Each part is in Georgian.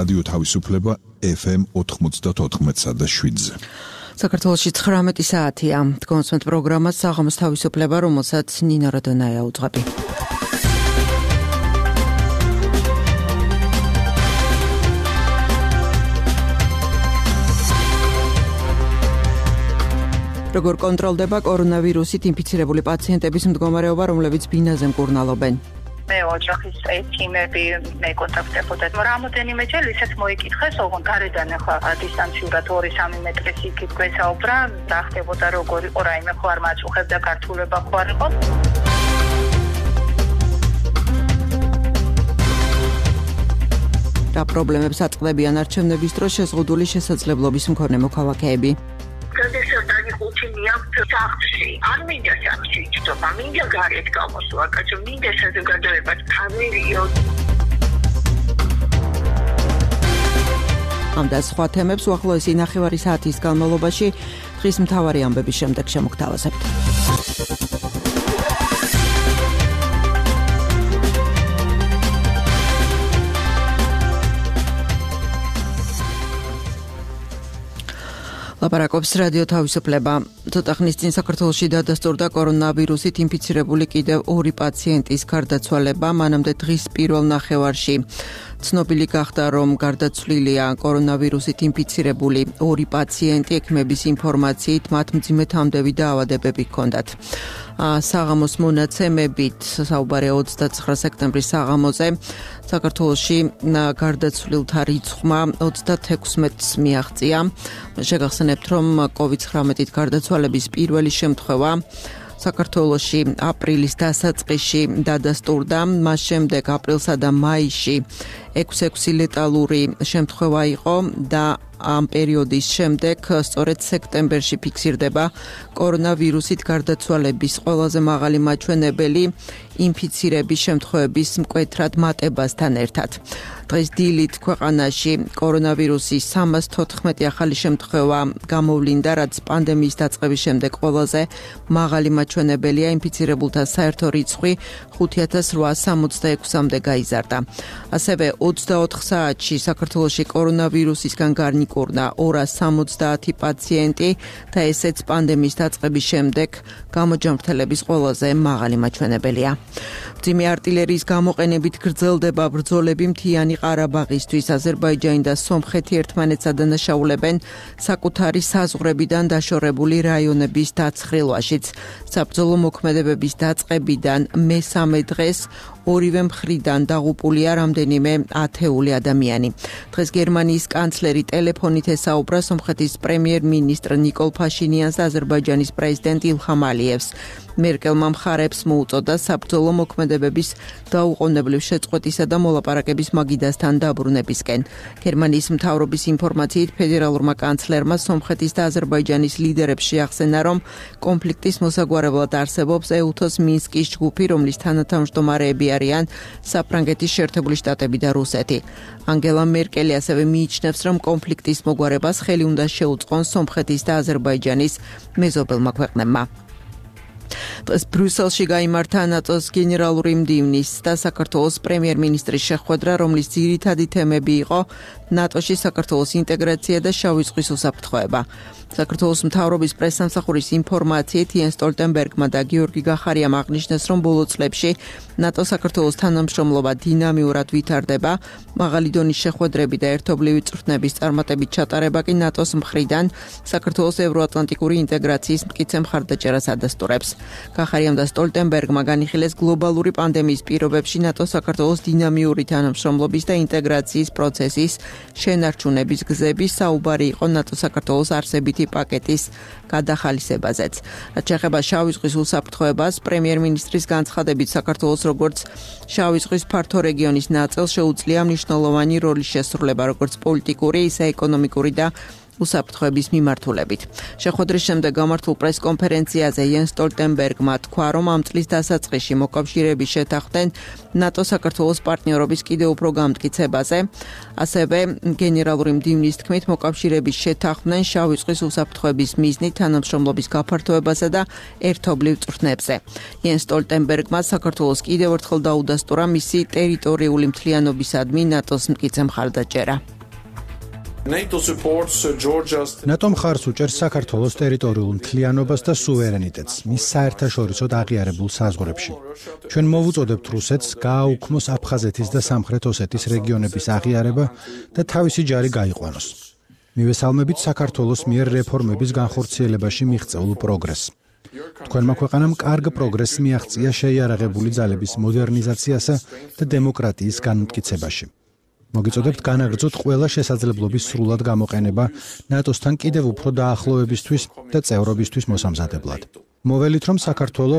რადიო თავისუფლება FM 94.7-ზე. საქართველოში 19 საათია. კონსვენტ პროგრამას საღამოს თავისუფლება, რომელსაც ნინო როდონაია უძღვები. როგორ კონტროლდება კორონავირუსით ინფიცირებული პაციენტების მდგომარეობა, რომლებიც ბინაზე მკურნალობენ? მე ოჯახის წევრები მეკონტაქტებოდა. რამოდენიმე ჯერ ისეთ მოიკითხეს, ოღონდ გარედან ახლა დისტანციურად 2-3 მეტრის იქით გვესაუბრა, რა ხდებოდა, როგორ იყო, რაიმე ხო არ მაწუხებდა, გართულება ხო არ იყო. რა პრობლემებს აწყდებიან არჩევნების დროს შეზღუდული შესაძლებლობის მქონე მოქალაქეები? არ მინდა სამში ჭრობა, მინდა გარეთ გამოსვლა, კაცო, მინდა საზოგადოებას თავერიო. ამ და სხვა თემებს უახლოესი 9 საათის განმავლობაში დღის მთავარი ამბების შემდეგ შემოგთავაზებთ. ლაპარაკობს რადიო თავისუფლება. ცოტა ხნის წინ საქართველოში დადასტურდა კორონავირუსით ინფიცირებული კიდევ 2 პაციენტის გარდაცვალება, მანამდე დღის პირველ ნახევარში ცნობილი გახდა, რომ გარდაცვლილია კორონავირუსით ინფიცირებული 2 პაციენტი. ექიმების ინფორმაციით მათ მძიმე თამდევი დაავადებები ჰქონდათ. საღამოს მონაცემებით, საუბარია 29 სექტემბრის საღამოზე, საქართველოში გარდაცვლილთა რიცხვმა 36-ს მიაღწია. შეგახსენებთ, რომ COVID-19-ით გარდაცვალების პირველი შემთხვევა საქართველოში აპრილის დასაწყისში დადასტურდა, მას შემდეგ აპრილსა და მაისში 6 ლეტალური შემთხვევა იყო და ამ პერიოდის შემდეგ სწორედ სექტემბერში ფიქსირდება კორონავირუსით გარდაცვალების ყველაზე მაღალი მაჩვენებელი ინფიცირების შემთხვევების მკვეთრად მატებასთან ერთად. დღეს დილით ქვეყანაში კორონავირუსის 314 ახალი შემთხვევა გამოვლინდა, რაც პანდემიის დაწყების შემდეგ ყველაზე მაღალი მაჩვენებელია. ინფიცირებულთა საერთო რიცხვი 5866-მდე გაიზარდა. ასევე 24 საათში საქართველოში კორონავირუსისგან გარნიკურნა 270 პაციენტი და ესეც პანდემიის დაწყების შემდეგ გამოჯანმრთელების ყველაზე მაღალი მაჩვენებელია. მძიმე არტილერიის გამოყენებით გრძელდება ბრძოლები მთიანი ყარაბაღისთვის. აზერბაიჯანი და სომხეთი ერთმანეთს ადანაშაულებენ საკუთარი საზღვრებიდან დაშორებული რაიონების დაცხრილვაშიც. საბრძოლო მოქმედებების დაწყებიდან მესამე დღეს ორივე მხრიდან დაღუპულია რამდენიმე ათეული ადამიანი. დღეს გერმანიის კანცლერი ტელეფონით ესაუბრა სომხეთის პრემიერ-მინისტრ ნიკოლ ფაშინიანს და აზერბაიჯანის პრეზიდენტ ილჰამ ალიევს. მერკელმა მხარებს მოუწოდა საბრძოლო მოქმედებების დაუყოვნებლივ შეწყვეტისა და მოლაპარაკების მაგიდასთან დაბრუნებისკენ. გერმანიის მთავრობის ინფორმაციით ფედერალურმა კანცლერმა სომხეთის და აზერბაიჯანის ლიდერებს შეახსენა, რომ კონფლიქტის მოსაგვარებლად არსებობს ეუთოს მინსკის ჯგუფი, რომლის თანათავმჯდომარეები არიან საფრანგეთის შეერთებული შტატები და რუსეთი. ანგელა მერკელი ასევე მიიჩნევს, რომ კონფლიქტის მოგვარებას ხელი უნდა შეუწყონ სომხეთის და აზერბაიჯანის მეზობელმა ქვეყნებმა. დღეს ბრიუსელში გაიმართა ნატოს გენერალური მდივნის და საქართველოს პრემიერ-მინისტრის შეხვედრა, რომლის ძირითადი თემები იყო ნატოში საქართველოს ინტეგრაცია და შავი ზღვის უსაფრთხოება. საქართველოს მთავრობის პრესსამსახურის ინფორმაციით იენს სტოლტენბერგმა და გიორგი გახარიამ აღნიშნეს, რომ ბოლო წლებში ნატო საქართველოს თანამშრომლობა დინამიურად ვითარდება. მაღალი დონის შეხვედრები და ერთობლივი წვრთნების წარმატებით ჩატარება კი ნატოს მხრიდან საქართველოს ევროატლანტიკური ინტეგრაციის მტკიცე მხარდაჭერას ადასტურებს. გახარიამ და სტოლტენბერგმა განიხილეს გლობალური პანდემიის პირობებში ნატო საქართველოს დინამიური თანამშრომლობის და ინტეგრაციის პროცესის შენარჩუნების გზების. საუბარი იყო ნატო საქართველოს არსებითი პაკეტის გადახალისებაზეც. რაც შეეხება შავი ზღვის უსაფრთხოებას, პრემიერ-მინისტრის განცხადებით საქართველოს როგორც შავი ზღვის ფართო რეგიონის ნაწილს შეუძლია მნიშვნელოვანი როლის შესრულება, როგორც პოლიტიკური, ისე ეკონომიკური და უსაფრთხოების მიმართულებით. შეხვედრის შემდეგ გამართულ პრესკონფერენციაზე იენს სტოლტენბერგმა თქვა, რომ ამ წლის დასაწყისში მოკავშირეები შეთანხმდნენ ნატო-საქართველოს პარტნიორობის კიდევ უფრო გამტკიცებაზე. ასევე გენერალური მდივნის თქმით, მოკავშირეები შეთანხმდნენ შავი ზღვის უსაფრთხოების მიზნით თანამშრომლობის გაფართოებასა და ერთობლივ წვრთნებზე. იენს სტოლტენბერგმა საქართველოს კიდევ ერთხელ დაუდასტურა მისი ტერიტორიული მთლიანობისადმი ნატოს მტკიცე მხარდაჭერა. NATO მხარს უჭერს საქართველოს ტერიტორიულ მთლიანობას და სუვერენიტეტს მის საერთაშორისო აღიარებულ საზღვრებში. ჩვენ მოვუწოდებთ რუსეთს გააუქმოს აფხაზეთის და სამხრეთ ოსეთის რეგიონების აღიარება და თავისი ჯარი გაიყვანოს. მივესალმებით საქართველოს მიერ რეფორმების განხორციელებაში მიღწეულ პროგრესს. თქვენმა ქვეყანამ კარგ პროგრესს მიაღწია შეიარაღებული ძალების მოდერნიზაციასა და დემოკრატიის განმტკიცებაში. მოგიწოდებთ განაგრძოთ ყველა შესაძლებლობის სრულად გამოყენება ნატოსთან კიდევ უფრო დაახლოებისთვის და წევრობისთვის მოსამზადებლად. მოველით, რომ საქართველო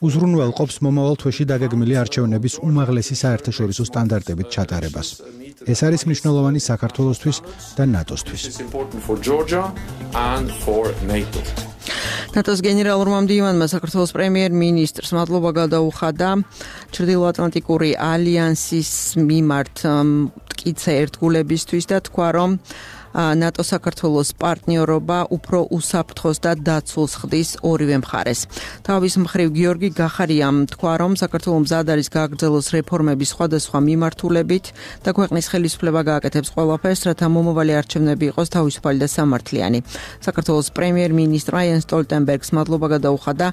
უზრუნველყოფს მომავალ თვეში დაგეგმილი არჩევნების უმაღლესი საერთაშორისო სტანდარტებით ჩატარებას. ეს არის მნიშვნელოვანი საქართველოსთვის და ნატოსთვის. ნატოს გენერალურმა მდივანმა საქართველოს პრემიერ-მინისტრს მადლობა გადაუხადა ჩრდილოატლანტიკური ალიანსის მიმართ მტკიცე ერთგულებისთვის და თქვა, რომ ნატო საქართველოს პარტნიორობა უფრო უსაფრთხოს და დაცულს ხდის ორივე მხარეს. თავის მხრივ გიორგი გახარიამ თქვა, რომ საქართველო მზად არის გააგრძელოს რეფორმების სხვადასხვა მიმართულებით და ქვეყნის ხელისუფლება გააკეთებს ყველაფერს, რათა მომავალი არჩევნები იყოს თავისუფალი და სამართლიანი. საქართველოს პრემიერ-მინისტრმა იენს სტოლტენბერგს მადლობა გადაუხადა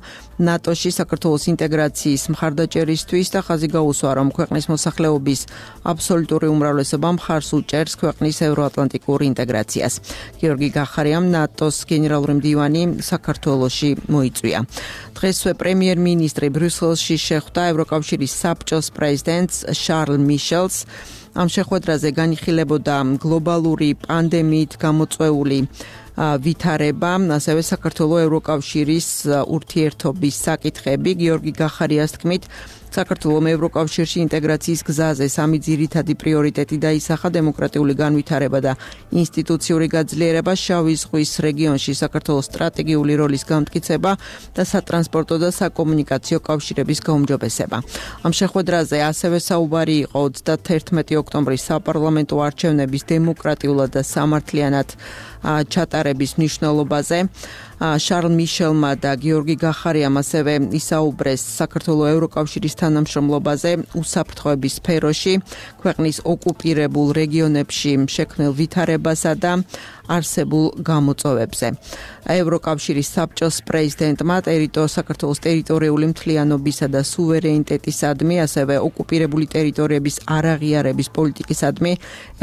ნატოში საქართველოს ინტეგრაციის მხარდაჭერისთვის და ხაზი გაუსვა, რომ ქვეყნის მოსახლეობის აბსოლუტური უმრავლესობა მხარს უჭერს ქვეყნის ევროატლანტიკურ ინტეგრაციას. გიორგი გახარიამ ნატოს გენერალური მდივანი საქართველოში მოიწვია. დღესვე პრემიერ-მინისტრი ბრიუსელში შეხვდა ევროკავშირის საბჭოს პრეზიდენტს შარლ მიშელს. ამ შეხვედრაზე განიხილებოდა გლობალური პანდემიით გამოწვეული ვითარება, ასევე საქართველოს ევროკავშირის ურთიერთობის საკითხები. გიორგი გახარიას თქმით, საქართველოს ევროკავშირში ინტეგრაციის გზაზე სამი ძირითადი პრიორიტეტი დაისახა: დემოკრატიული განვითარება და ინსტიტუციური გაძლიერება, შავი ზღვის რეგიონში საქართველოს სტრატეგიული როლის გამტკიცება და სატრანსპორტო და საკომუნიკაციო კავშირების გაუმჯობესება. ამ შეხვედრაზე ასევე საუბარი იყო 31 ოქტომბრის საპარლამენტო არჩევნების დემოკრატიულად და სამართლიანად ჩატარების მნიშვნელობაზე. შარლ მიშელმა და გიორგი გახარიამ ასევე ისაუბრეს საქართველოს ევროკავშირის თანამშრომლობაზე უსაფრთხოების სფეროში, ქვეყნის ოკუპირებულ რეგიონებში შექმნილ ვითარებასა და არსებულ გამოწვევებზე. ევროკავშირის საბჭოს პრეზიდენტმა საქართველოს ტერიტორიული მთლიანობისა და სუვერენიტეტისადმი, ასევე ოკუპირებული ტერიტორიების არაღიარების პოლიტიკისადმი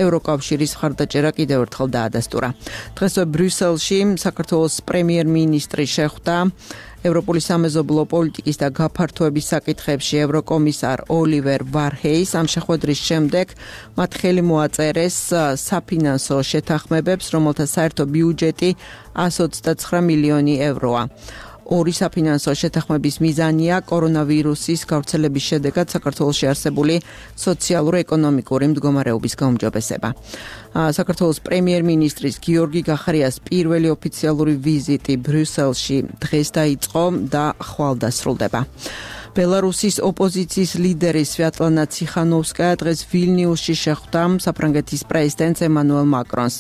ევროკავშირის მხარდაჭერა კიდევ ერთხელ დაადასტურა. დღესვე ბრიუსელში საქართველოს პრემიერ-მინისტრი შეხვდა ევროპული სამეზობლო პოლიტიკის და გაფართოების საკითხებში ევროკომისარ ოლივერ ვარჰეის. ამ შეხვედრის შემდეგ მათ ხელი მოაწერეს საფინანსო შეთანხმებებს, რომელთა საერთო ბიუჯეტი 129 მილიონი ევროა. ორი საფინანსო შეთანხმების მიზანია კორონავირუსის გავრცელების შედეგად საქართველოში არსებული სოციალურ-ეკონომიკური მდგომარეობის გაუმჯობესება. საქართველოს პრემიერ-მინისტრის გიორგი გახარიას პირველი ოფიციალური ვიზიტი ბრიუსელში დღეს დაიწყო და ხვალ დასრულდება. ბელარუსის ოპოზიციის ლიდერი სვიატლანა ციხანოვსკაია დღეს ვილნიუსში შეხვდა საფრანგეთის პრეზიდენტს ემანუელ მაკრონს.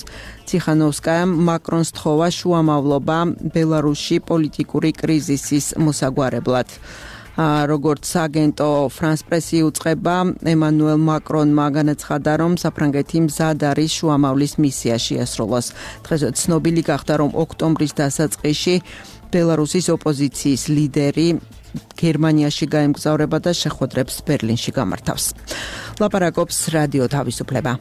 ციხანოვსკაიამ მაკრონს თხოვა შუამავლობა ბელარუსში პოლიტიკური კრიზისის მოსაგვარებლად. როგორც აგენტო ფრანს პრესი უწყება, ემანუელ მაკრონმა განაცხადა, რომ საფრანგეთი მზად არის შუამავლის მისია შეასრულოს. დღეს ცნობილი გახდა, რომ ოქტომბრის დასაწყისში ბელარუსის ოპოზიციის ლიდერი გერმანიაში გაემგზავრება და შეხვედრებს ბერლინში გამართავს. ლაპარაკობს რადიო თავისუფლება.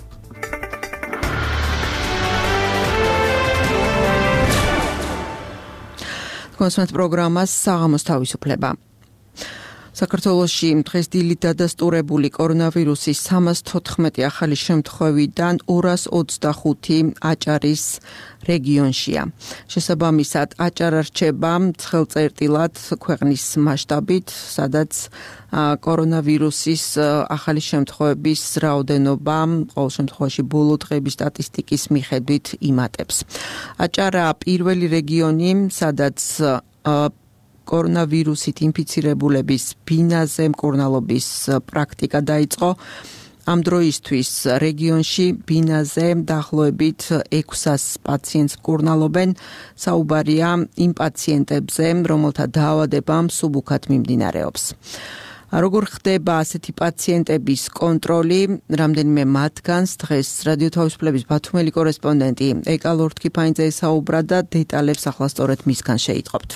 კონსუმენტ პროგრამას საღამოს თავისუფლება. საქართველოში დღეს დილით დადასტურებული კორონავირუსის 314 ახალი შემთხვევიდან 225 აჭარის რეგიონშია. შესაბამისად, აჭარა რჩება ცხელწერტილად ქვეყნის მასშტაბით, სადაც კორონავირუსის ახალი შემთხვევების რაოდენობა ყოველ შემთხვევაში ბოლო დღეების სტატისტიკის მიხედვით იმატებს. აჭარა პირველი რეგიონი, სადაც კორონავირუსით ინფიცირებულების ბინაზე მკურნალობის პრაქტიკა დაიწყო. ამ დროისთვის რეგიონში ბინაზე დაახლოებით 600 პაციენტს მკურნალობენ. საუბარია იმ პაციენტებზე, რომელთა დაავადება მსუბუქად მიმდინარეობს. როგორ ხდება ასეთი პაციენტების კონტროლი, რამდენიმე მათგანს დღეს რადიო თავისუფლების ბათუმელი კორესპონდენტი ეკა ლორთქიფანიძე ესაუბრა და დეტალებს ახლა სწორედ მისგან შეიტყობთ.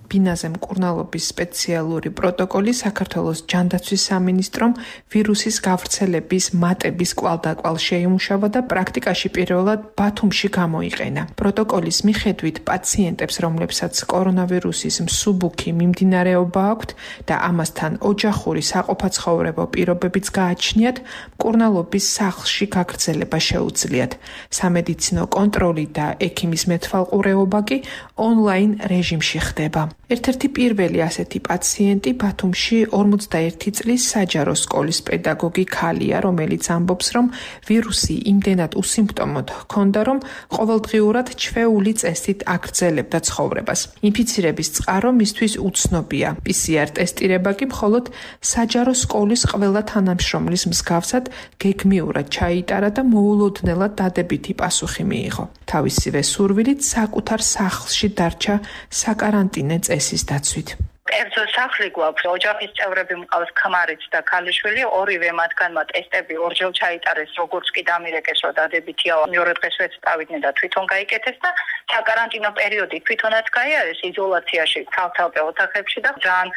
ბინაზე მკურნალობის სპეციალური პროტოკოლი საქართველოს ჯანდაცვის სამინისტრომ ვირუსის გავრცელების მატების კვალდაკვალ შეიმუშავა და პრაქტიკაში პირველად ბათუმში გამოიყენა. პროტოკოლის მიხედვით პაციენტებს, რომლებსაც კორონავირუსის მსუბუქი მიმდინარეობა აქვთ და ამასთან ოჯახური საყოფაცხოვრებო პირობებიც გააჩნიათ, მკურნალობის სახლში გაგრძელება შეუძლიათ. სამედიცინო კონტროლი და ექიმის მეთვალყურეობა კი ონლაინ რეჟიმში ხდება. ერთ-ერთი პირველი ასეთი პაციენტი ბათუმში 41 წლის საჯარო სკოლის პედაგოგი ქალია, რომელიც ამბობს, რომ ვირუსი იმდენად უსიმპტომოდ ჰქონდა, რომ ყოველდღიურად ჩვეული წესით აგრძელებდა ცხოვრებას. ინფიცირების წყარო მისთვის უცნობია. PCR ტესტირება კი მხოლოდ საჯარო სკოლის ყველა თანამშრომლის მსგავსად გეგმიურად ჩაიტარა და მოულოდნელად დადებითი პასუხი მიიღო. თავისივე სურვილით საკუთარ სახლში დარჩა საკარანტინე წესის დაცვით. კერძო სახლი გვაქვს, ოჯახის წევრები მყავს ქმარიც და ქალიშვილი, ორივე მათგანმა ტესტები ორჯერ ჩაიტარეს, როგორც კი დამირეკეს, რომ დადებითია, მეორე დღესვე წავიდნენ და თვითონ გაიკეთეს და საკარანტინო პერიოდი თვითონაც გაიარეს იზოლაციაში, თავთავე ოთახებში და ძალიან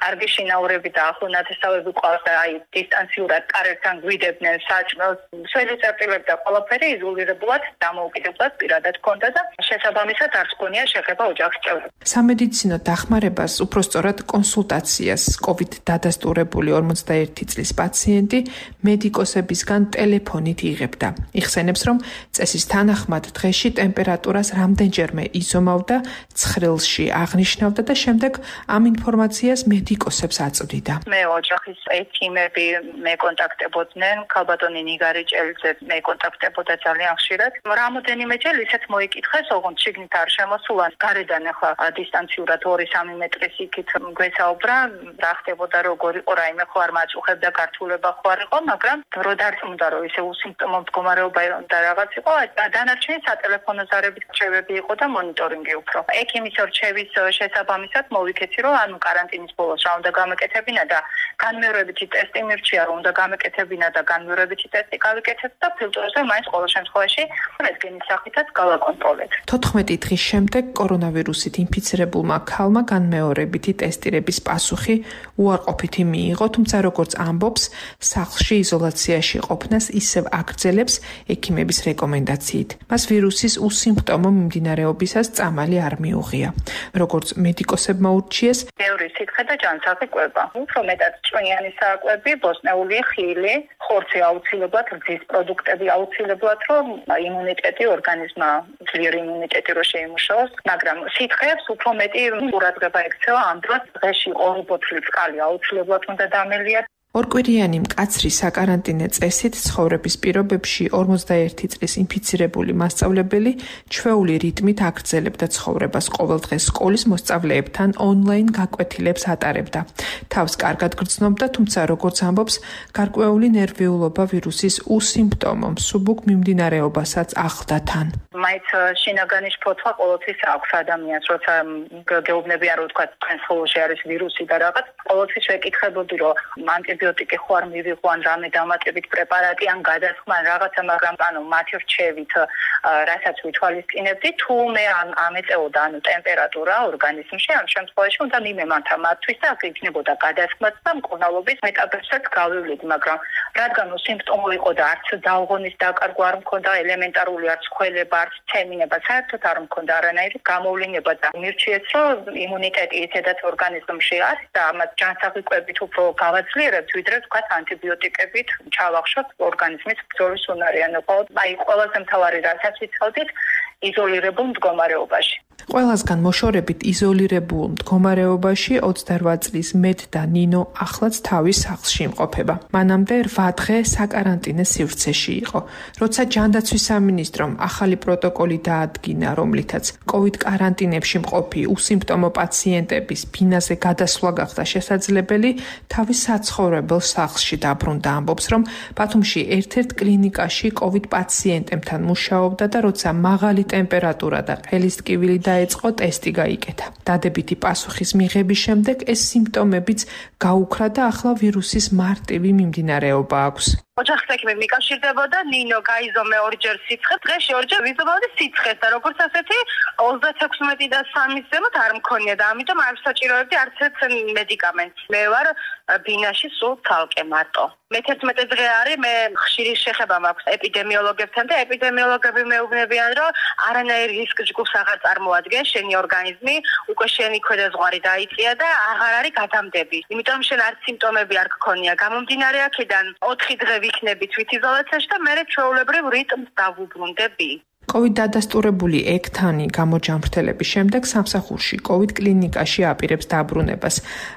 კარგი შინაურები და ახლონათესავები ყავს და აი დისტანციურად კარებთან გვიდებდნენ საჭმელს, სველიწერტილები და ყველაფერი იზოლირებულად დამოუკიდებლად პირადად ჰქონდა და შესაბამისად არც გონია შეხება ოჯახის წევრებს. სამედიცინო დახმარებას უფრო სწორად კონსულტაციას COVID დადასტურებული 41 წლის პაციენტი მედიკოსებისგან ტელეფონით იღებდა. იხსენებს, რომ წესის თანახმად დღეში ტემპერატურას რამდენჯერმე იზომავდა, ცხრილში აღნიშნავდა და შემდეგ ამ ინფორმაციას მედიკოსებს აწვდიდა. მე ოჯახის ექიმები მეკონტაქტებოდნენ, ქალბატონი ნიგარი ჭელიძე მეკონტაქტებოდა ძალიან ხშირად. რამოდენიმე ჯერ ისეთ მოიკითხეს, ოღონდ შიგნით არ შემოსულა, გარედან ახლა დისტანციურად 2-3 მეტრის იქით გვესაუბრა, რა ხდებოდა, როგორ იყო, რაიმე ხო არ მაწუხებდა, გართულება ხო არ იყო, მაგრამ დრო დარწმუნდა, რომ ისე უსიმპტომო მდგომარეობა და რაღაც იყო, დანარჩენი სატელეფონო ზარებით რჩევები იყო და მონიტორინგი უფრო. ექიმის რჩევის შესაბამისად მოვიქეცი, რომ ანუ კარანტინის ბოლოს რა უნდა გამეკეთებინა და განმეორებითი ტესტი მირჩია, რომ უნდა გამეკეთებინა და განმეორებითი ტესტი გავიკეთეთ და ფილტრებზე მაინც ყოველ შემთხვევაში რენტგენის სახითაც გავაკონტროლეთ. 14 დღის შემდეგ კორონავირუსით ინფიცირებულმა ქალმა განმეორებითი ტესტირების პასუხი უარყოფითი მიიღო, თუმცა როგორც ამბობს, სახლში იზოლაციაში ყოფნას ისევ აგრძელებს ექიმების რეკომენდაციით. მას ვირუსის უსიმპტომო მიმდინარეობისას წამალი არ მიუღია. როგორც მედიკოსებმა ურჩიეს, ბევრი სითხე და ჯანსაღი კვება. უფრო მეტად ჭვიანი საკვები, ბოსტნეული, ხილი, ხორცი აუცილებლად, რძის პროდუქტები აუცილებლად, რომ იმუნიტეტი ორგანიზმმა ძლიერი იმუნიტეტი რო შეიმუშაოს, მაგრამ სითხეებს უფრო მეტი ყურადღება ექცევა ამ დროს დღეში 2 ბოთლი წყალი აუცილებლად უნდა დამელიათ. ორკვირიანი მკაცრი საკარანტინე წესით ცხოვრების პირობებში 41 წლის ინფიცირებული მასწავლებელი ჩვეული რიტმით აგრძელებდა ცხოვრებას, ყოველდღე სკოლის მოსწავლეებთან ონლაინ გაკვეთილებს ატარებდა. თავს კარგად გრძნობდა, თუმცა როგორც ამბობს, გარკვეული ნერვიულობა ვირუსის უსიმპტომო მსუბუქ მიმდინარეობასაც ახლდა თან. მაინც შინაგანი შფოთვა ყოველთვის აქვს ადამიანს, როცა გეუბნებიან, რომ თქვა თქვენ სხეულში არის ვირუსი და რაღაც, ყოველთვის ვეკითხებოდი, რომ ანტიბიოტიკი ხო არ მივიღო ან რამე დამატებით პრეპარატი ან გადასხმა რაღაცა, მაგრამ ანუ მათი რჩევით რასაც ვითვალისწინებდი, თუ მე ამეწეოდა ანუ ტემპერატურა ორგანიზმში, ამ შემთხვევაში უნდა მიმემართა მათთვის და აქ იქნებოდა გადასხმაც და მკურნალობის მეტაბებსაც გავივლით, მაგრამ რადგან უსიმპტომო იყო და არც დაუღონის დაკარგვა არ მქონდა, ელემენტარული არც ხველება, არც ცემინება, საერთოდ არ მქონდა არანაირი გამოვლინება და მირჩიეს, რომ იმუნიტეტი ისედაც ორგანიზმში არის და ამას ჯანსაღი კვებით უფრო გავაძლიერებთ, ვიდრე თქვათ ანტიბიოტიკებით ჩავახშოთ ორგანიზმის ბრძოლის უნარიანი. აი ყველაზე მთავარი რასაც ვიცავდით, იზოლირებულ მდგომარეობაში. ყველასგან მოშორებით იზოლირებულ მდგომარეობაში 28 წლის მეტ და ნინო ახლაც თავის სახლში იმყოფება. მანამდე 8 დღე საკარანტინე სივრცეში იყო. როცა ჯანდაცვის სამინისტრომ ახალი პროტოკოლი დაადგინა, რომლითაც COVID კარანტინებში მყოფი უსიმპტომო პაციენტების ბინაზე გადასვლა გახდა შესაძლებელი, თავის საცხოვრებელ სახლში დაბრუნდა. ამბობს, რომ ბათუმში ერთ-ერთ კლინიკაში COVID პაციენტებთან მუშაობდა და როცა მაღალი ტემპერატურა და ყელის ტკივილი დაეწყო, ტესტი გაიკეთა. დადებითი პასუხის მიღების შემდეგ ეს სიმპტომებიც გაუქრა და ახლა ვირუსის მარტივი მიმდინარეობა აქვს. ოჯახის ექიმი მიკავშირდებოდა, ნინო გაიზომე ორჯერ სიცხეს, დღეში ორჯერ ვიზომავდი სიცხეს და როგორც ასეთი 36 და 3-ის ზემოთ არ მქონია და ამიტომ არ ვსაჭიროებდი არც ერთ მედიკამენტს. მე ვარ ბინაში სულ თალკე მარტო. მე-11 დღე არის, მე ხშირი შეხება მაქვს ეპიდემიოლოგებთან და ეპიდემიოლოგები მეუბნებიან, რომ არანაირ რისკ ჯგუფს აღარ წარმოადგენს შენი ორგანიზმი, უკვე შენი ქვედაზღვარი დაიწია და აღარ არის გადამდები. იმიტომ შენ არც სიმპტომები არ გქონია. გამომდინარე აქედან 4 დღე ვიქნები თვითიზოლაციაში და მე ჩვეულებრივ რიტმს დავუბრუნდები. COVID დადასტურებული ექთანი გამოჯამრთელების შემდეგ სამსახურში COVID კლინიკაში აპირებს დაბრუნებას.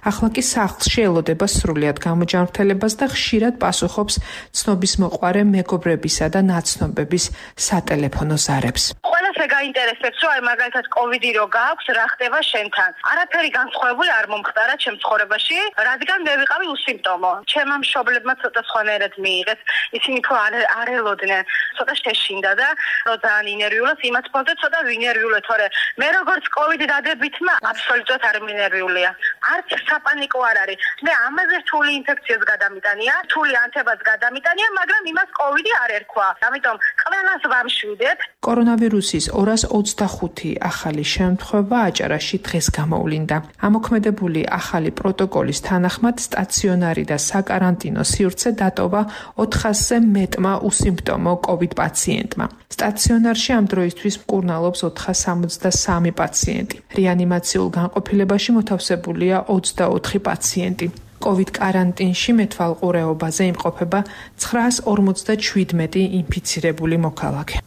ახლა კი სახლში ელოდება სრულიად გამოჯამრთელებას და ხშირად პასუხობს ცნობის მოყვარე მეგობრებისა და ნაცნობების სატელეფონო ზარებს. ყველასე გაინტერესებს, რომ აი მაგალითად COVID-ი რო გააქვს, რა ხდება შენთან. არაფერი განსხვავებული არ მომხდარა ჩემ ცხოვრებაში, რადგან მე ვიყავი უსიმპტომო. ჩემმა მშობლებმა ცოტა სხვანაირად მიიღეს, ისინი ხო არ ელოდნენ, ცოტა შეშინდა და რო ძალიან ინერვიულობ, იმათ ფონდე ცოტა ვინერვიულე, თორე მე როგორც COVID დადებითმა აბსოლუტურად არ მინერვიულია. არც საპანიკო არ არის. მე ამაზე რთული ინფექციას გადამიტანია, რთული ანთებას გადამიტანია, მაგრამ იმას COVID არ ერქვა. ამიტომ ყველას ვამშვიდებ. კორონავირუსის 225 ახალი შემთხვევა აჭარაში დღეს გამოვლინდა. ამოქმედებული ახალი პროტოკოლის თანახმად სტაციონარი და საკარანტინო სივრცე დატოვა 400-ზე მეტმა უსიმპტომო COVID პაციენტმა. სტაციონარში ამ დროისთვის მკურნალობს 473 პაციენტი. რეანიმაციულ განყოფილებაში მოთავსებულია 24 პაციენტი. COVID კარანტინში მეთვალყურეობაზე იმყოფება 957 ინფიცირებული მოქალაქე.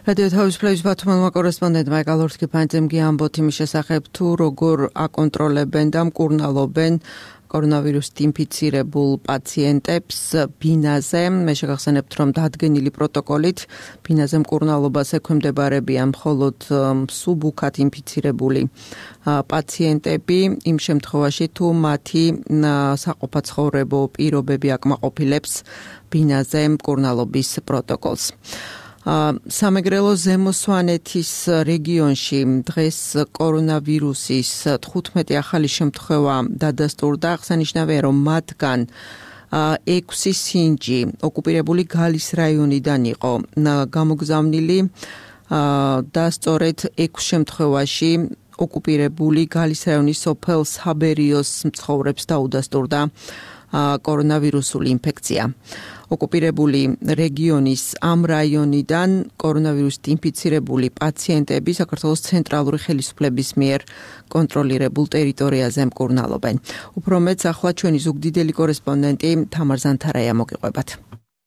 რადიო თავისუფლების ბათუმელმა კორესპონდენტმა ეკალორთკიფანძემ ამბოთ იმის შესახებ, თუ როგორ აკონტროლებენ და მკურნალობენ კორონავირუსით ინფიცირებულ პაციენტებს ბინაზე. მე შეგახსენებთ, რომ დადგენილი პროტოკოლით ბინაზე მკურნალობას ექვემდებარებიან მხოლოდ მსუბუქად ინფიცირებული პაციენტები, იმ შემთხვევაში თუ მათი საყოფაცხოვრებო პირობები აკმაყოფილებს ბინაზე მკურნალობის პროტოკოლს. სამეგრელო ზემო სვანეთის რეგიონში დღეს კორონავირუსის 15 ახალი შემთხვევა დადასტურდა. აღსანიშნავია, რომ მათგან 6 სინჯი ოკუპირებული გალის რაიონიდან იყო გამოგზავნილი და სწორედ 6 შემთხვევაში ოკუპირებული გალის რაიონის სოფელ საბერიოს მცხოვრებს დაუდასტურდა კორონავირუსული ინფექცია. ოკუპირებული რეგიონის ამ რაიონიდან კორონავირუსით ინფიცირებული პაციენტები საქართველოს ცენტრალური ხელისუფლების მიერ კონტროლირებულ ტერიტორიაზე მკურნალობენ. უფრო მეტს ახლა ჩვენი ზუგდიდელი კორესპონდენტი თამარ ზანთარაია მოგიყვებათ.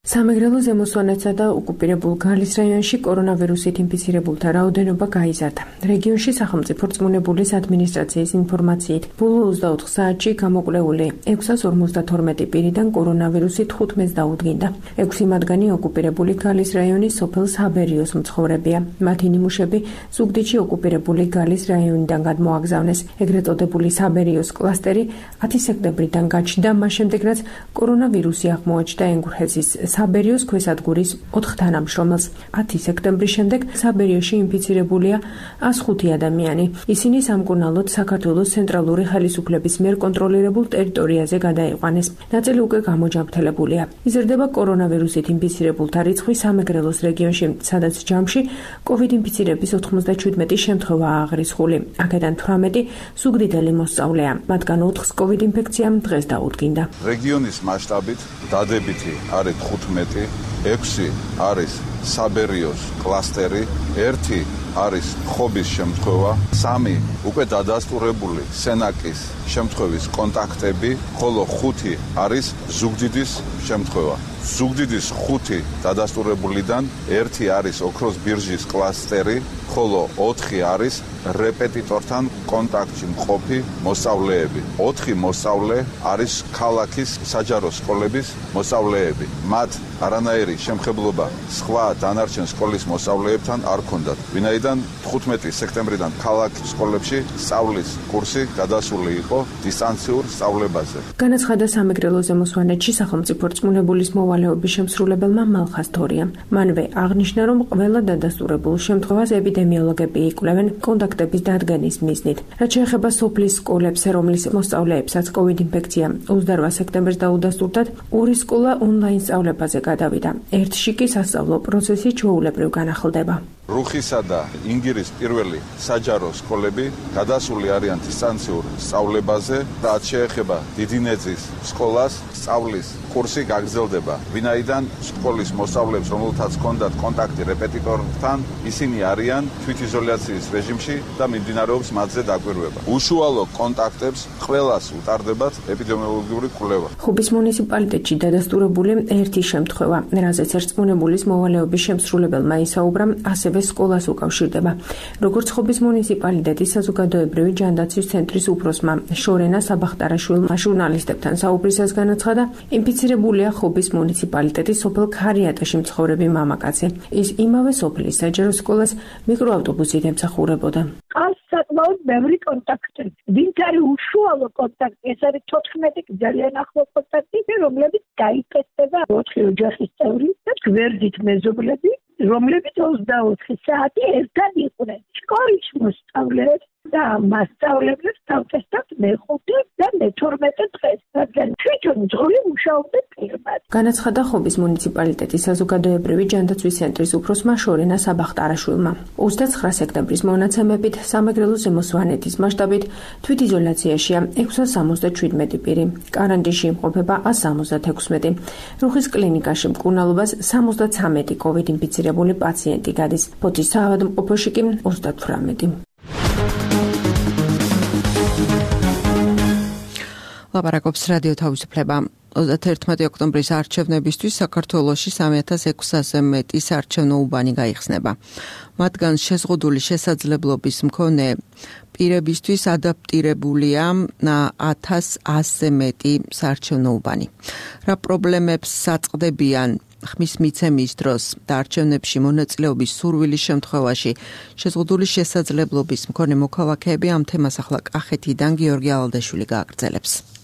სამეგრელო ზემო სვანეთსა და ოკუპირებულ გალის რაიონში კორონავირუსით ინფიცირებულთა რაოდენობა გაიზარდა. რეგიონში სახელმწიფო რწმუნებულის ადმინისტრაციის ინფორმაციით, ბოლო 24 საათში გამოკვლეული 652 პირიდან კორონავირუსით 15 დაუდგინდა. 6 მათგანი ოკუპირებული გალის რაიონის სოფელ საბერიოს მცხოვრებია. მათი ნიმუშები ზუგდიდში ოკუპირებული გალის რაიონიდან გადმოაგზავნეს. ეგრეთ წოდებული საბერიოს კლასტერი 10 სექტემბრიდან გაჩნდა, მას შემდეგ რაც კორონავირუსი აღმოაჩნდა ენგურჰეზის საბერიოს ქვესადგურის 4 თანამშრომელს. 10 სექტემბრის შემდეგ საბერიოში ინფიცირებულია 105 ადამიანი. ისინი სამკურნალოდ საქართველოს ცენტრალური ხელისუფლების მიერ კონტროლირებულ ტერიტორიაზე გადაიყვანეს. ნაწილი უკვე გამოჯამრთელებულია. იზრდება კორონავირუსით ინფიცირებულთა რიცხვი სამეგრელოს რეგიონში, სადაც ჯამში COVID ინფიცირების 97 შემთხვევაა აღრიცხული. აქედან 18 ზუგდიდელი მოსწავლეა. მათგან 4-ს COVID ინფექციამ დღეს დაუდგინდა. რეგიონის მასშტაბით დადებითი არის 15, 6 არის საბერიოს კლასტერი, 1 არის ხობის შემთხვევა, 3 უკვე დადასტურებული სენაკის შემთხვევის კონტაქტები, ხოლო 5 არის ზუგდიდის შემთხვევა. ზუგდიდის 5 დადასტურებულიდან 1 არის ოქროს ბირჟის კლასტერი, ხოლო 4 არის რეპეტიტორთან კონტაქტში მყოფი მოსწავლეები. 4 მოსწავლე არის ქალაქის საჯარო სკოლების მოსწავლეები. მათ არანაირი შემხებლობა სხვა დანარჩენ სკოლის მოსწავლეებთან არ ჰქონდათ. ვინაიდან 15 სექტემბრიდან ქალაქის სკოლებში სწავლის კურსი გადასული იყო დისტანციურ სწავლებაზე. განაცხადა სამეგრელო ზემო სვანეთში სახელმწიფო რწმუნებულის მოვალეობის შემსრულებელმა მალხას თორიამ. მანვე აღნიშნა, რომ ყველა დადასტურებულ შემთხვევას ეპიდემიოლოგები იკვლევენ კონტაქტების დადგენის მიზნით. რაც შეეხება სოფლის სკოლებს, რომლის მოსწავლეებსაც COVID ინფექცია 28 სექტემბერს დაუდასტურდათ, ორი სკოლა ონლაინ სწავლებაზე გადავიდა. ერთში კი სასწავლო პროცესი ჩვეულებრივ განახლდება. რუხისა და ინგირის პირველი საჯარო სკოლები გადასული არიან დისტანციურ სწავლებაზე, რაც შეეხება დიდინეძის სკოლას, სწავლის კურსი გაგრძელდება. ვინაიდან სკოლის მოსწავლეებს, რომელთაც ჰქონდათ კონტაქტი რეპეტიტორთან, ისინი არიან თვითიზოლაციის რეჟიმში და მიმდინარეობს მათზე დაკვირვება. უშუალო კონტაქტებს ყველას უტარდებათ ეპიდემიოლოგიური კვლევა. ხუბის მუნიციპალიტეტში დადასტურებული ერთი შემთხვევა, რაზეც ერწყმუნებულის მოვალეობის შემსრულებელმა ისაუბრა, ასევე სკოლას უკავშირდება. როგორც ხობის მუნიციპალიტეტის საზოგადოებრივი ჯანდაცვის ცენტრის უფროსმა შორენა საბახტარაშვილმა ჟურნალისტებთან საუბრისას განაცხადა, ინფიცირებულია ხობის მუნიციპალიტეტის სოფელ ქარიატაში მცხოვრები მამაკაცი. ის იმავე სოფლის საჯარო სკოლას მიკროავტობუსით ემსახურებოდა. საკმაოდ ბევრი კონტაქტი. ვინც არის უშუალო კონტაქტი, ეს არის 14 ძალიან ახლო კონტაქტი, რომლებიც გაიტესტება 4 ოჯახის წევრი და გვერდით მეზობლები, რომლებიც 24 საათი ერთად იყვნენ. სკოლის მოსწავლეებს და მასწავლებლებს დავტესტავთ მე-5 და მე-12 დღეს, რადგან თვითონ ძღოლი მუშაობდნენ პირმად. განაცხადა ხობის მუნიციპალიტეტის საზოგადოებრივი ჯანდაცვის ცენტრის უფროსმა შორენა საბახტარაშვილმა. 29 სექტემბრის მონაცემებით სამეგრელო ზემო სვანეთის მასშტაბით თვითიზოლაციაშია 677 პირი. კარანტინში იმყოფება 176. რუხის კლინიკაში მკურნალობას 73 COVID ინფიცირებული პაციენტი გადის. ფოთის საავადმყოფოში კი 38. ლაპარაკობს რადიო თავისუფლება. 31 ოქტომბრის არჩევნებისთვის საქართველოში 3600-ზე მეტი საარჩევნო უბანი გაიხსნება. მათგან შეზღუდული შესაძლებლობის მქონე პირებისთვის ადაპტირებულია 1100-ზე მეტი საარჩევნო უბანი. რა პრობლემებს საწყდებიან ხმის მიცემის დროს და არჩევნებში მონაწილეობის სურვილის შემთხვევაში შეზღუდული შესაძლებლობის მქონე მოქალაქეები ამ თემას ახლა კახეთიდან გიორგი ალადაშვილი გააგრძელებს.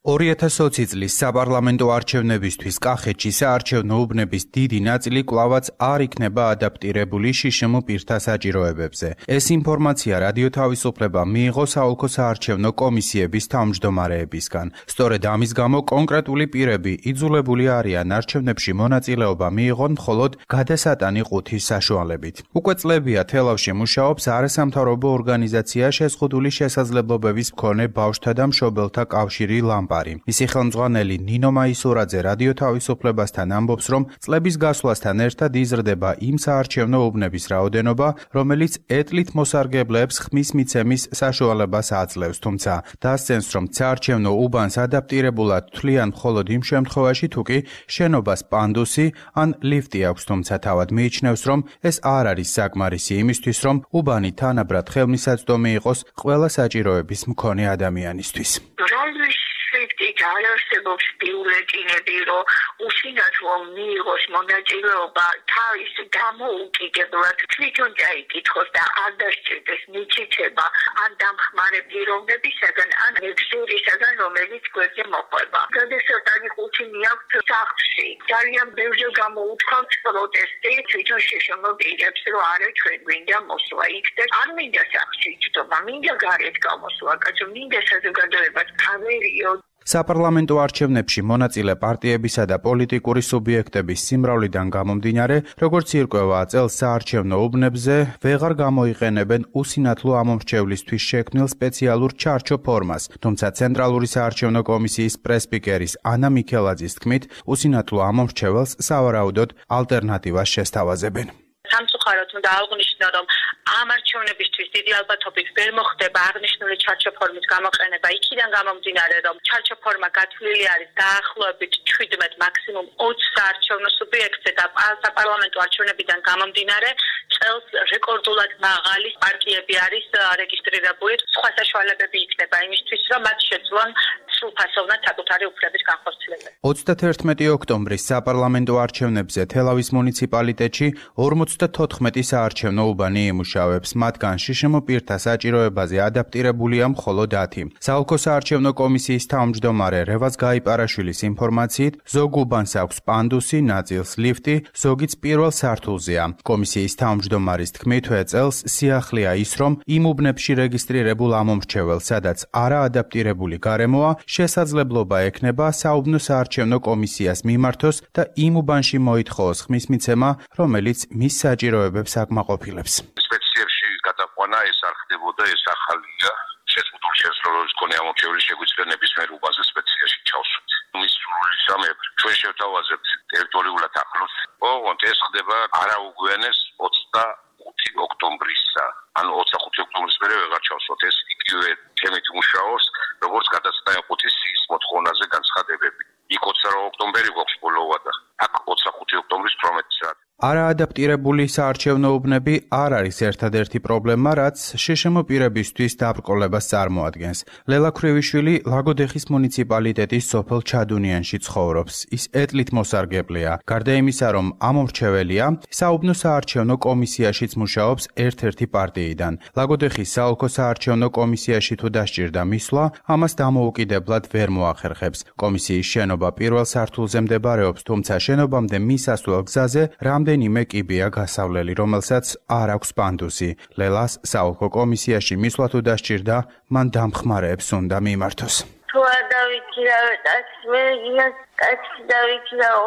2020 წლის საპარლამენტო არჩევნებისთვის კახეთში საარჩევნო უბნების დიდი ნაწილი კვლავაც არ იქნება ადაპტირებული შიშმ პირთა საჭიროებებზე. ეს ინფორმაცია რადიო თავისუფლება მიიღო საოლქო საარჩევნო კომისიების თავმჯდომარეებისგან. სწორედ ამის გამო კონკრეტული პირები იძულებული არიან არჩევნებში მონაწილეობა მიიღონ მხოლოდ გადასატანი ყუთის საშუალებით. უკვე წლებია თელავში მუშაობს არასამთავრობო ორგანიზაცია შეზღუდული შესაძლებლობების მქონე ბავშვთა და მშობელთა კავშირი ლამპა. მისი ხელმძღვანელი ნინო მაისურაძე რადიო თავისუფლებასთან ამბობს, რომ წლების გასვლასთან ერთად იზრდება იმ საარჩევნო უბნების რაოდენობა, რომელიც ეტლით მოსარგებლეებს ხმის მიცემის საშუალებას აძლევს, თუმცა დასცენს, რომ საარჩევნო უბანს ადაპტირებულად თვლიან მხოლოდ იმ შემთხვევაში, თუ კი შენობას პანდუსი ან ლიფტი აქვს, თუმცა თავად მიიჩნევს, რომ ეს არ არის საკმარისი იმისთვის, რომ უბანი თანაბრად ხელმისაწვდომი იყოს ყველა საჭიროების მქონე ადამიანისთვის. არ არსებობს ბიულეტინები, რომ უშინათ რომ მიიღოს მონაწილეობა თავის დამოუკიდებლად თვითონ დაიკითხოს და არ დასჭირდეს მითითება ან დამხმარე პიროვნებისაგან, ან მეგზურისაგან, რომელიც გვერდზე მოყვება. გადასატანი ყუთი მიაქვთ სახლში. ძალიან ბევრჯერ გამოუთქვამთ პროტესტი თვითონ შშმ პირებს, რომ არა ჩვენ გვინდა მოსვლა იქ და არ მინდა სახლში ჯდომა, მინდა გარეთ გამოსვლა, კაცო, მინდა საზოგადოებას გავერიო. საპარლამენტო არჩევნებში მონაწილე პარტიებისა და პოლიტიკური სუბიექტების სიმრავლიდან გამომდინარე, როგორც ირკვევა წელს საარჩევნო უბნებზე ვეღარ გამოიყენებენ უსინათლო ამომრჩევლისთვის შექმნილ სპეციალურ ჩარჩო ფორმას, თუმცა ცენტრალური საარჩევნო კომისიის პრესპიკერის ანა მიქელაძის თქმით, უსინათლო ამომრჩეველს სავარაუდოდ ალტერნატივას შესთავაზებენ. სამწუხაროდ უნდა აღნიშნო, რომ ამ არჩევნებისთვის დიდი ალბათობით ვერ მოხდება აღნიშნული ჩარჩო ფორმის გამოყენება, იქიდან გამომდინარე, რომ ჩარჩო ფორმა გათვლილი არის დაახლოებით 17 მაქსიმუმ 20 საარჩევნო სუბიექტზე და საპარლამენტო არჩევნებიდან გამომდინარე, წელს რეკორდულად მაღალი პარტიები არის რეგისტრირებული. სხვა საშუალებები იქნება იმისთვის, რომ მათ შეძლონ სრულფასოვნად საკუთარი უფლების განხორციელებას. 31 ოქტომბრის საპარლამენტო არჩევნებზე თელავის მუნიციპალიტეტში 54 საარჩევნო უბანი იმუშავებს, მათგან შშმ პირთა საჭიროებაზე ადაპტირებულია მხოლოდ 10. საოლქო საარჩევნო კომისიის თავმჯდომარე რევაზ გაიპარაშვილის ინფორმაციით, ზოგ უბანს აქვს პანდუსი, ნაწილს ლიფტი, ზოგიც პირველ სართულზეა. კომისიის თავმჯდომარის თქმით, წელს სიახლეა ის, რომ იმ უბნებში რეგისტრირებულ ამომრჩეველს, სადაც არა ადაპტირებული გარემოა, შესაძლებლობა ექნება საუბნო საარჩევნო კომისიას მიმართოს და იმ უბანში მოითხოვოს ხმის მიცემა, რომელიც მის საჭიროებებს აკმაყოფილებს. სპეციებში გადაყვანა ეს არ ხდებოდა, ეს ახალია. შეზღუდული შესაძლებლობის მქონე ამომრჩეველი შეგვიძლია ნებისმიერ უბანზე სპეციაში ჩავსვით. მის სრული სამეფ ჩვენ შევთავაზებთ ტერიტორიულად ახლოს. ოღონდ ეს ხდება არაუგვიანეს 25 ოქტომბრისა. ანუ 25 ოქტომბრის მერე ვეღარ ჩავსვათ. ეს იგივე თემით მუშაობს, როგორც გადაცდა იყო სიის მოთხოვნაზე განცხადებები. იქ 20 ოქტომბერი გვაქვს ბოლოვა და აქ 25 ოქტომბრის 18 საათი. არაადაპტირებული საარჩევნო უბნები არ არის ერთადერთი პრობლემა, რაც შშმ პირებისთვის დაბრკოლებას წარმოადგენს. ლელა ქრივიშვილი ლაგოდეხის მუნიციპალიტეტის სოფელ ჩადუნიანში ცხოვრობს. ის ეტლით მოსარგებლეა. გარდა იმისა, რომ ამომრჩეველია, საუბნო საარჩევნო კომისიაშიც მუშაობს ერთ-ერთი პარტიიდან. ლაგოდეხის საოლქო საარჩევნო კომისიაში თუ დასჭირდა მისვლა, ამას დამოუკიდებლად ვერ მოახერხებს. კომისიის შენობა პირველ სართულზე მდებარეობს, თუმცა შენობამდე მისასვლელ გზაზე რამდენიმე კიბეა გასავლელი, რომელსაც არ აქვს პანდუსი. ლელას საოლქო კომისიაში მისვლა თუ დასჭირდა, მან დამხმარეებს უნდა მიმართოს. თუ არ დავიქირავე ტაქსი, მე იმას ტაქსი დავიქირავ.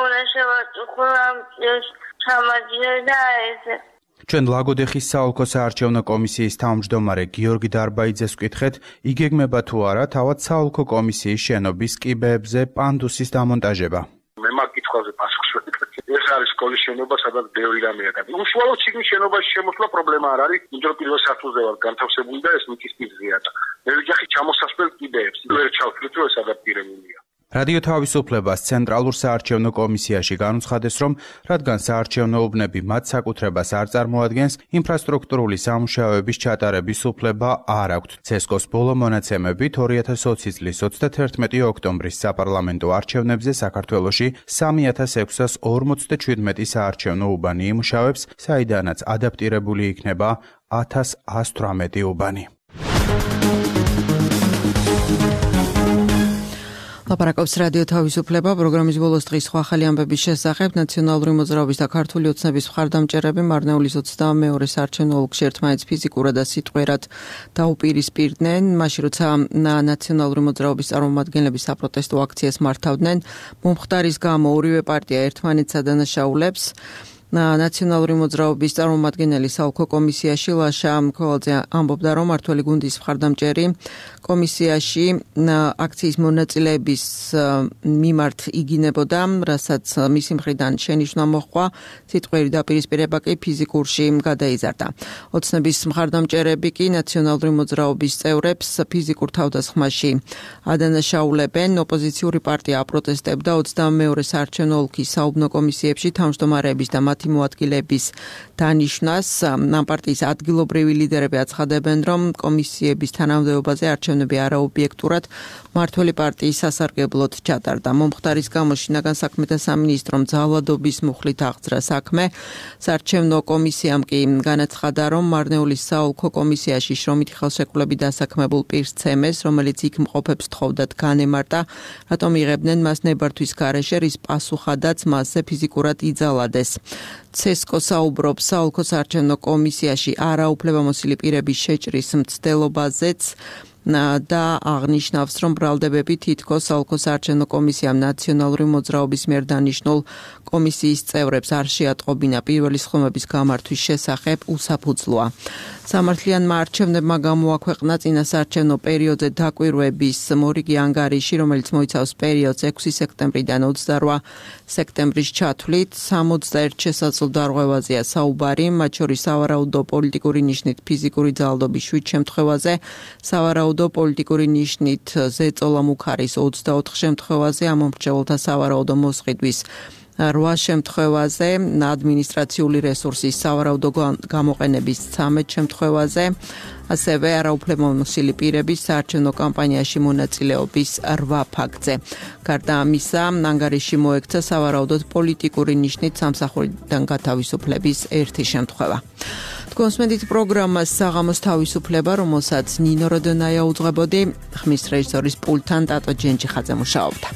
უნდა შევაწუხო ამ წელს ჩამაჯერე და ესე. ჩვენ ლაგოდეხის საოლქო საარჩევნო კომისიის თავმჯდომარე გიორგი დარბაიძეს ვკითხეთ, იგეგმება თუ არა თავად საოლქო კომისიის შენობის კიბეებზე პანდუსის დამონტაჟება. მე მაგ კითხვაზე პასუხს ვეთქვი. ეს არის სკოლის შენობა, სადაც ბევრი რამეა. უშუალოდ შიგნით შენობაში შემოსვლა პრობლემა არ არის, იმიტომ რომ პირველ სართულზე ვარ განთავსებული და ეს მიწის პირზეა და მე ვიძახი ჩამოსასვლელ კიბეებს. ვერ ჩავთვლით, რომ ეს ადაპტირებულია. რადიო თავისუფლებას ცენტრალურ საარჩევნო კომისიაში განუცხადეს, რომ რადგან საარჩევნო უბნები მათ საკუთრებას არ წარმოადგენს, ინფრასტრუქტურული სამუშაოების ჩატარების უფლება არ აქვთ. ცესკოს ბოლო მონაცემებით 2020 წლის 31 ოქტომბრის საპარლამენტო არჩევნებზე საქართველოში 3647 საარჩევნო უბანი იმუშავებს, საიდანაც ადაპტირებული იქნება 1118 უბანი. ლაპარაკობს რადიო თავისუფლება, პროგრამის ბოლოს დღის სხვა ახალი ამბების შესახებ. ნაციონალური მოძრაობის და ქართული ოცნების მხარდამჭერები მარნეულის 22 საარჩევნო ოლქში ერთმანეთს ფიზიკურად და სიტყვიერად დაუპირისპირდნენ, მაშინ როცა ნაციონალური მოძრაობის წარმომადგენლები საპროტესტო აქციას მართავდნენ. მომხდარის გამო ორივე პარტია ერთმანეთს ადანაშაულებს. ნაციონალური მოძრაობის წარმომადგენელი საოლქო კომისიაში ლაშა მქველაძე ამბობდა, რომ მართველი გუნდის მხარდამჭერი კომისიაში აქციის მონაწილეების მიმართ იგინებოდა, რასაც მისი მხრიდან შენიშვნა მოჰყვა, სიტყვიერი დაპირისპირება კი ფიზიკურში გადაიზარდა. ოცნების მხარდამჭერები კი ნაციონალური მოძრაობის წევრებს ფიზიკურ თავდასხმაში ადანაშაულებენ. ოპოზიციური პარტია აპროტესტებდა 22 საარჩევნო ოლქის საუბნო კომისიებში თავმჯდომარეების და მათი მოადგილეების დანიშვნას. ამ პარტიის ადგილობრივი ლიდერები აცხადებენ, რომ კომისიების თანამდებობაზე არჩევნები არაობიექტურად მართველი პარტიის სასარგებლოდ ჩატარდა. მომხდარის გამო შინაგან საქმეთა სამინისტრომ ძალადობის მუხლით აღძრა საქმე. საარჩევნო კომისიამ კი განაცხადა, რომ მარნეულის საოლქო კომისიაში შრომითი ხელშეკრულები დასაქმებულ პირს ცემეს, რომელიც იქ მყოფებს თხოვდათ განემარტა, რატომ იღებდნენ მას ნებართვის გარეშე, რის პასუხადაც მასზე ფიზიკურად იძალადეს. ცესკო საუბრობს საოლქო საარჩევნო კომისიაში არაუფლებამოსილი პირების შეჭრის მცდელობაზეც და აღნიშნავს, რომ ბრალდებები თითქოს საოლქო საარჩევნო კომისიამ ნაციონალური მოძრაობის მიერ დანიშნულ კომისიის წევრებს არ შეატყობინა პირველი სხდომების გამართვის შესახებ უსაფუძვლოა. სამართლიანმა არჩევნებმა გამოაქვეყნა წინასაარჩევნო პერიოდზე დაკვირვების მორიგი ანგარიში, რომელიც მოიცავს პერიოდს 6 სექტემბრიდან 28 სექტემბრის ჩათვლით. 61 შესაძლო დარღვევაზეა საუბარი, მათ შორის სავარაუდო პოლიტიკური ნიშნით ფიზიკური ძალადობის 7 შემთხვევაზე, სავარაუდო პოლიტიკური ნიშნით ზეწოლა მუქარის 24 შემთხვევაზე, ამომრჩეველთა სავარაუდო მოსყიდვის 8 შემთხვევაზე, ადმინისტრაციული რესურსის სავარაუდო გამოყენების 13 შემთხვევაზე, ასევე არაუფლებამოსილი პირების საარჩევნო კამპანიაში მონაწილეობის 8 ფაქტზე. გარდა ამისა, ანგარიში მოექცა სავარაუდოდ პოლიტიკური ნიშნით სამსახურიდან გათავისუფლების 1 შემთხვევა. თქვენს მედით პროგრამას საღამოს თავისუფლება, რომელსაც ნინო როდონაია უძღვებოდი, ხმის რეჟისორის პულტთან ტატო ჯენჯიხაძე მუშაობდა.